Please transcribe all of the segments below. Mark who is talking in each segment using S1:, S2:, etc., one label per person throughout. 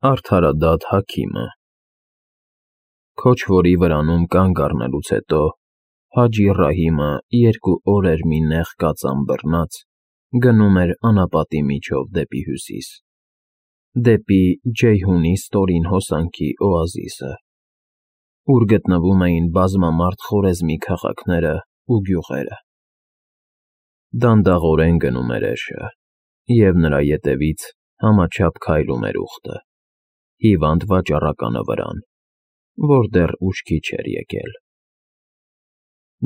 S1: Արդարադատ Հաքիմը։ Քոչվորի վրանում կանգ առնելուց հետո Հաջի Ռահիմը 2 օր էր մի նեղ կածան բռնած գնում էր անապատի միջով դեպի հյուսիս, դեպի Ջեյհունի ստորին հոսանքի օազիսը, ուր գտնվում էին բազմամարդ Խորեզմի քաղաքներն ու գյուղերը։ Դանդաղորեն գնում էր էշը, և նրա ետևից համաչափ քայլում էր ուղտը, հիվանդ վաճառականը վրան, որ դեռ ուշքի չէր եկել։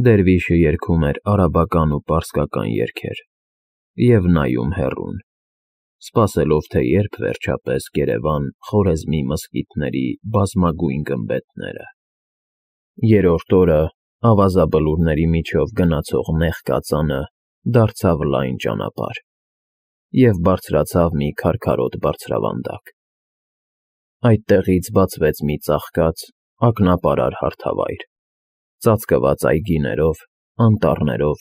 S1: Դերվիշը երգում էր արաբական ու պարսկական երգեր և նայում հեռուն, սպասելով, թե երբ վերջապես կերևան Խորեզմի մզկիթների բազմագույն գմբեթները։ Երրորդ օրը ավազաբլուրների միջով գնացող նեղ կածանը դարձավ լայն ճանապարհ և բարձրացավ մի քարքարոտ բարձրավանդակ։ Այդտեղից բացվեց մի ծաղկած, ակնապարար հարթավայր, ծածկված այգիներով, անտառներով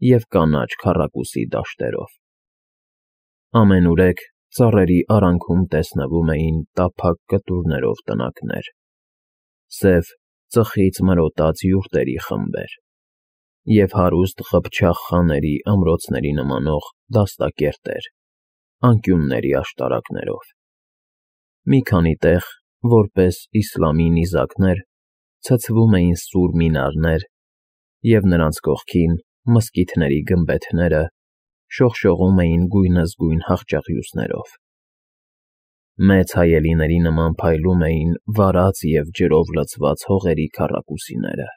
S1: և կանաչ քառակուսի դաշտերով։ Ամենուրեք ծառերի արանքում տեսնվում էին տափակ կտուրներով տնակներ, սև, ծխից մրոտած յուրտերի խմբեր և հարուստ ղփչաղ խաների ամրոցների նմանող դաստակերտեր անկյունների աշտարակներով։ Մի քանի տեղ, որպես իսլամի նիզակներ, ցցվում էին սուր մինարներ, և նրանց կողքին մզկիթների գմբեթները շողշողում էին գույնզգույն հախճաղյուծներով։ Մեծ հայելիների նման փայլում էին վարած և ջրով լցված հողերի քառակուսիները։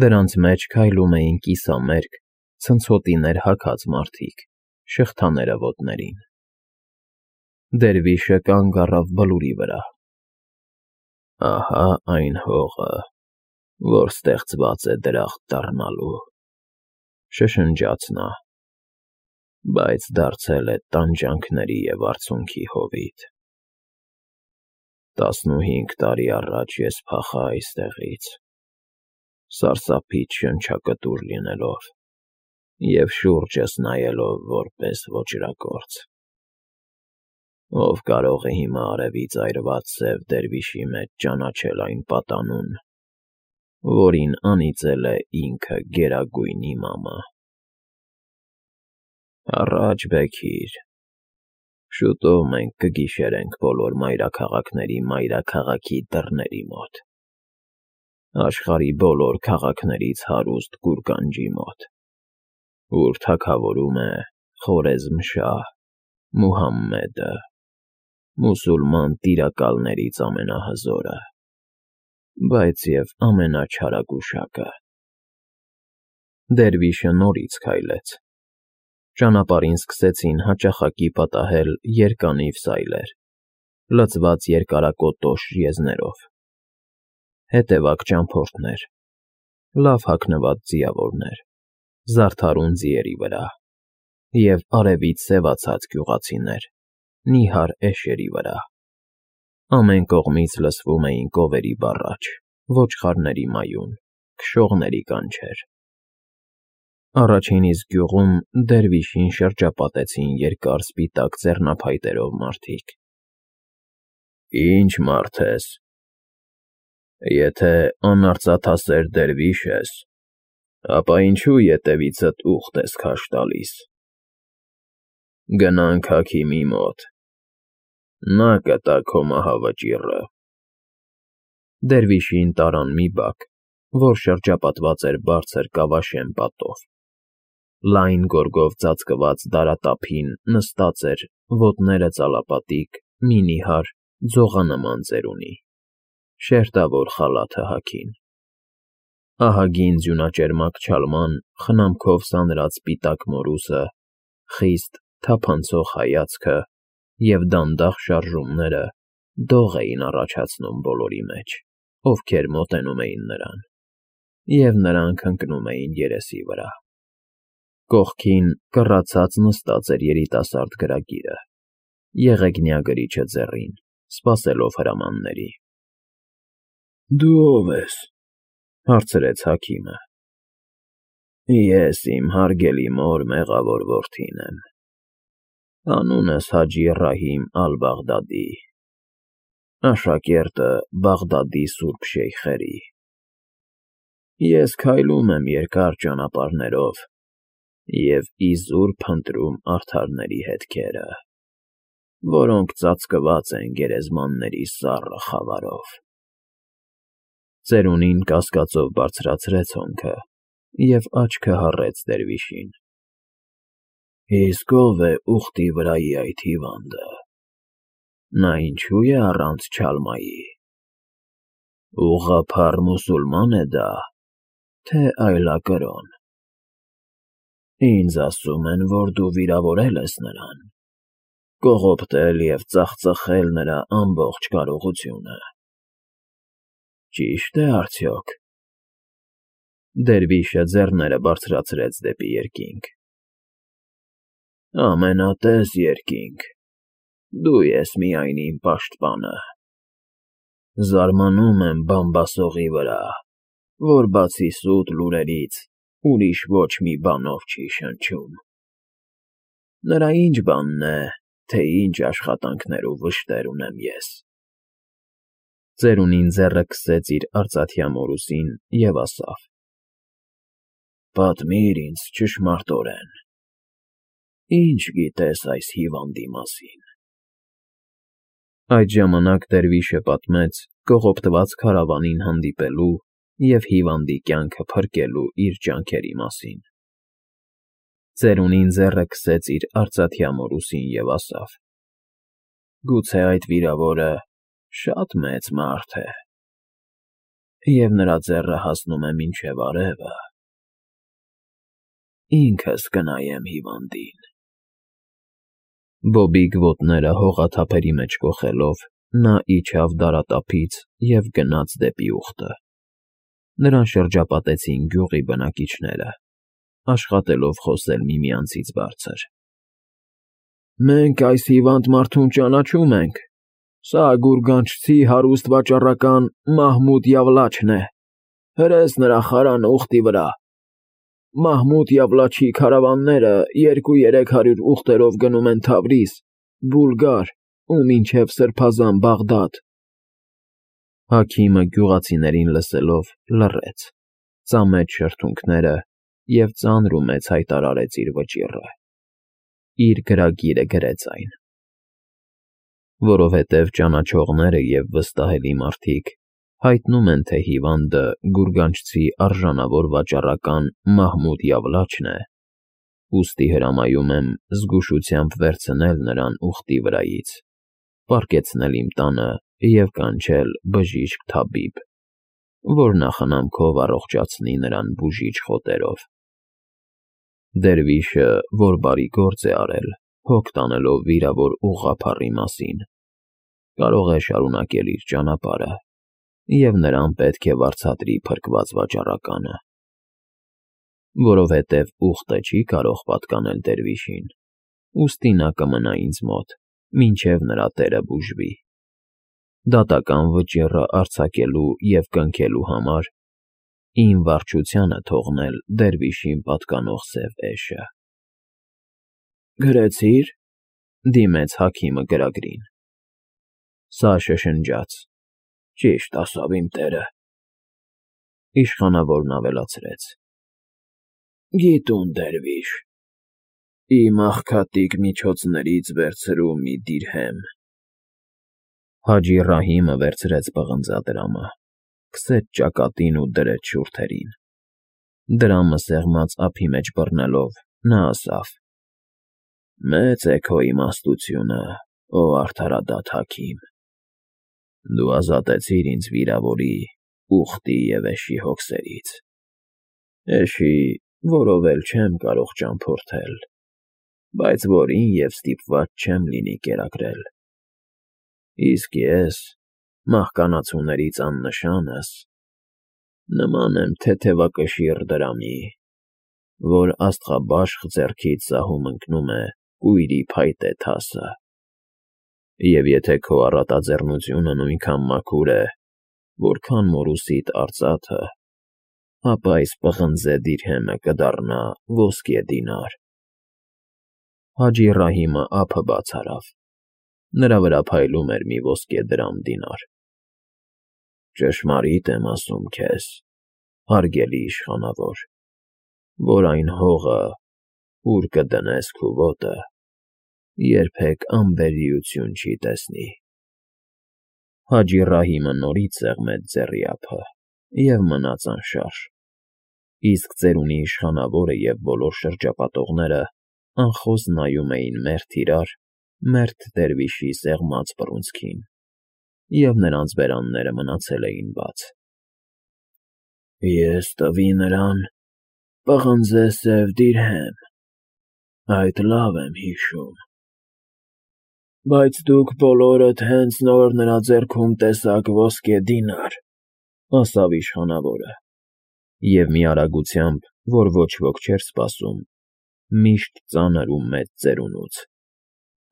S1: Դրանց մեջ քայլում էին կիսամերկ, ցնցոտիներ հագած մարդիկ, շղթաները ոտներին։ Դերվիշը կանգ առավ բլուրի վրա։ «Ահա այն հողը, որ ստեղծված է դրախտ դառնալու», շշնջաց նա, «բայց դարձել է տանջանքների և արցունքի հովիտ։ 15 տարի առաջ ես փախա այստեղից, սարսափից շնչակտուր լինելով և շուրջս նայելով որպես ոճրագործ։ Ով կարող է հիմա արևից այրված սև դերվիշի մեջ ճանաչել այն պատանուն, որին անիծել է ինքը Գերագույն Իմամը։ Առաջ, Բեքիր, շուտով մենք կգիշերենք բոլոր մայրաքաղաքների մայրաքաղաքի դռների մոտ, աշխարհի բոլոր քաղաքներից հարուստ գուրգանջի մոտ, ուր թագավորում է Խորեզմ֊շահ Մուհամմեդը, մուսուլման տիրակալներից ամենահզորը, բայց և ամենաչարագուշակը»։ Դերվիշը նորից քայլեց։ Ճանապարհին սկսեցին հաճախակի պատահել երկանիվ սայլեր, լցված երկարակոտոշ եզներով, հետևակ ճամփորդներ, լավ հագնված ձիավորներ, զարդարուն ձիերի վրա և արևից սևացած գյուղացիներ, նիհար էշերի վրա։ Ամեն կողմից լսվում էին կովերի բառաչ, ոչխարների մայուն, քշողների կանչեր։ Առաջին իսկ գյուղում Դերվիշին շրջապատեցին երկար սպիտակ ձեռնափայտերով մարդիկ։ «Ի՞նչ մարդ ես։ Եթե անարծաթասեր դերվիշ ես, ապա ինչու ետևիցդ ուղտ ես քաշ տալիս։ Գնանք Հաքիմի մոտ, նա կտա քո մահավճիռը»։ Դերվիշին տարան մի բակ, որ շրջապատված էր բարձր կավաշեմ պատով։ Լայն գորգով ծածկված դարատափին նստած էր, ոտները ծալապատիկ, մի նիհար, ձողանման ծերունի, շերտավոր խալաթը հագին։ Ահագին ձյունաճերմակ չալման խնամքով սանրած սպիտակ մորուսը, խիստ, թափանցող հայացքը և դանդաղ շարժումները դող էին առաջացնում բոլորի մեջ, ովքեր մոտենում էին նրան, և նրանք ընկնում էին երեսի վրա։ Կողքին կռացած նստած էր երիտասարդ գրագիրը, եղեգնյա գրիչը ձեռին, սպասելով հրամանների։ «Դու ո՞վ ես», հարցրեց Հաքիմը։ «Ես իմ հարգելի մոր մեղավոր որդին եմ, անունս Հաջի Ռահիմ ալ֊Բաղդադի, աշակերտը Բաղդադի սուրբ շեյխերի։ Ես քայլում եմ երկար ճանապարհներով և իզուր փնտրում արդարների հետքերը, որոնք ծածկված են գերեզմանների սառը խավարով։ Ծերունին կասկածով բարձրացրեց հոնքը և աչքը հառեց դերվիշին։ Իսկ ով է ուխտի վրայի այդ հիվանդը, նա ինչու է առանց չալմայի, ուղղափառ մուսուլման է դա, թե այլակրոն։ Ինձ ասում են, որ դու վիրավորել ես նրան, կողոպտել և ծախծխել նրա ամբողջ կարողությունը։ Ճի՞շտ է արդյոք։ Դերվիշը ձեռները բարձրացրեց դեպի երկինք։ Ամենատես երկինք, դու ես միայն իմ պաշտպանը։ Զարմանում եմ Բամբասողի վրա, որ բացի սուտ լուրերից ուրիշ ոչ մի բանով չի շնչում։ Նրա ինչ բանն է, թե ինչ աշխատանքներ ու վշտեր ունեմ ես։ Ծերունին ձեռը քսեց իր արծաթյա մորուսին և ասավ. Պատմիր ինձ ճշմարտորեն, ինչ գիտես այս հիվանդի մասին։ Այդ ժամանակ դերվիշը պատմեց կողոպտված քարավանին հանդիպելու և հիվանդի կյանքը փրկելու իր ջանքերի մասին։ Ծերունին ձեռը քսեց իր արծաթյա մորուսին և ասավ. Գուցե այդ վիրավորը շատ մեծ մարդ է, և նրա ձեռը հասնում է մինչև արևը։ Ինքս կնայեմ հիվանդին։ Բոբիկ ոտները հողաթափերի մեջ կոխելով, նա իջավ դարատափից և գնաց դեպի ուխտը։ Նրան շրջապատեցին գյուղի բնակիչները, աշխատելով խոսել միմյանցից բարձր։ Մենք այս հիվանդ մարդուն ճանաչում ենք, սա գուրգանչցի հարուստ վաճառական Մահմուդ Յավլաչն է, հրես նրա խարանը ուխտի վրա։ Մահմուդ Յավլաչի քարավանները 200-300 ուխտերով գնում են Թավրիզ, Բուլգար ու մինչև Սրբազան Բաղդադ։ Հաքիմը գյուղացիներին լսելով լռեց, ծամեց շրթունքները և ծանր ու մեծ հայտարարեց իր վճիռը։ Իր գրագիրը գրեց այն։ Որովհետև ճանաչողները և վստահելի մարդիկ հայտնում են, թե հիվանդը գուրգանչցի արժանավոր վաճառական Մահմուդ Յավլաչն է, ուստի հրամայում եմ զգուշությամբ վերցնել նրան ուխտի վրայից, պառկեցնել իմ տանը և կանչել բժիշկ թաբիբ, որ նախանամքով առողջացնի նրան բուժիչ խոտերով։ Դերվիշը, որ բարի գործ է արել, հոգ տանելով վիրավոր ուղղափառի մասին, կարող է շարունակել իր ճանապարհը, և նրան պետք է վարձատրի փրկված վաճառականը։ Որովհետև ուխտը չի կարող պատկանել դերվիշին, ուստի նա կմնա ինձ մոտ, մինչև նրա տերը բուժվի։ Դատական վճիռը արձակելու և կնքելու համար իմ վարչությանը թողնել դերվիշին պատկանող սև էշը։ Գրեցի՞ր,֊ դիմեց հաքիմը գրագրին։ Սա շշնջաց. Ճիշտ ասավ իմ տերը։ Իշխանավորն ավելացրեց. Գիտուն դերվիշ, իմ աղքատիկ միջոցներից վերցրու մի դիրհեմ։ Հաջի Ռահիմը վերցրեց պղնձադրամը, քսեց ճակատին ու դրեց շուրթերին։ Դրամը սեղմած ափի մեջ բռնելով, նա ասավ. Մեծ է քո իմաստությունը, ո արդարադատ հաքիմ։ Դու ազատեցիր ինձ վիրավորի, ուխտի և էշի հոգսերից։ Էշի, որով էլ չեմ կարող ճամփորդել, բայց որին և ստիպված չեմ լինի կերակրել։ Իսկ ես, մահկանացուներից աննշանս, նման եմ թեթևակշիռ դրամի, որ աստղաբաշխ ձեռքից սահում ընկնում է կույրի փայտե թասը։ Եվ եթե քո առատաձեռնությունը նույնքան մաքուր է, որքան մորուսիդ արծաթը, ապա այս պղնձե դիրհեմը կդառնա ոսկե դինար։ Հաջի Ռահիմը ափը բաց արավ, Նրա վրա փայլում էր մի ոսկե դրամ֊դինար։ Ճշմարիտ եմ ասում քեզ, հարգելի իշխանավոր, որ այն հողը, ուր կդնես քո ոտը, երբեք անբերիություն չի տեսնի։ Հաջի Ռահիմը նորից սեղմեց ձեռի ափը և մնաց անշարժ, իսկ ծերունի իշխանավորը և բոլոր շրջապատողները անխոս նայում էին մերթ իրար, մերթ դերվիշի սեղմած բռունցքին, և նրանց բերանները մնացել էին բաց։ Ես տվի նրան պղնձե սև դիրհեմ, այդ լավ եմ հիշում։ Բայց դուք բոլորդ հենց նոր նրա ձեռքում տեսաք ոսկե դինար, ասավ իշխանավորը, և մի արագությամբ, որ ոչ ոք չէր սպասում, միշտ ծանր ու մեծ ծերունուց,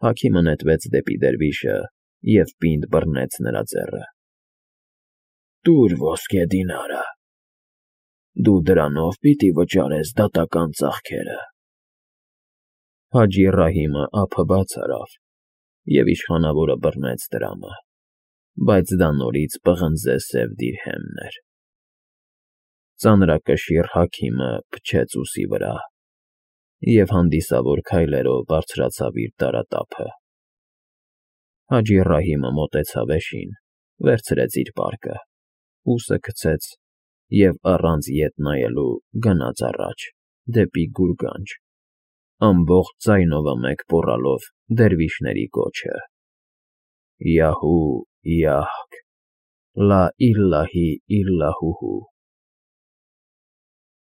S1: հաքիմը նետվեց դեպի դերվիշը և պինդ բռնեց նրա ձեռը։ Տուր ոսկե դինարը, դու դրանով պիտի վճարես դատական ծախքերը։ Հաջի Ռահիմը ափը բաց արավ, և իշխանավորը բռնեց դրամը, բայց դա նորից պղնձե սև դիրհեմն էր։ Ծանրակշիռ հաքիմը փչեց ուսի վրա և հանդիսավոր քայլերով բարձրացավ իր տարատափը։ Հաջի Ռահիմը մոտեցավ էշին, վերցրեց իր պարկը, ուսը գցեց և առանց ետ նայելու գնաց առաջ, դեպի գուրգանջ, ամբողջ ձայնովմեկ պոռալով դերվիշների կոչը. Յահու, յահք, լա իլլահի իլլահուհու։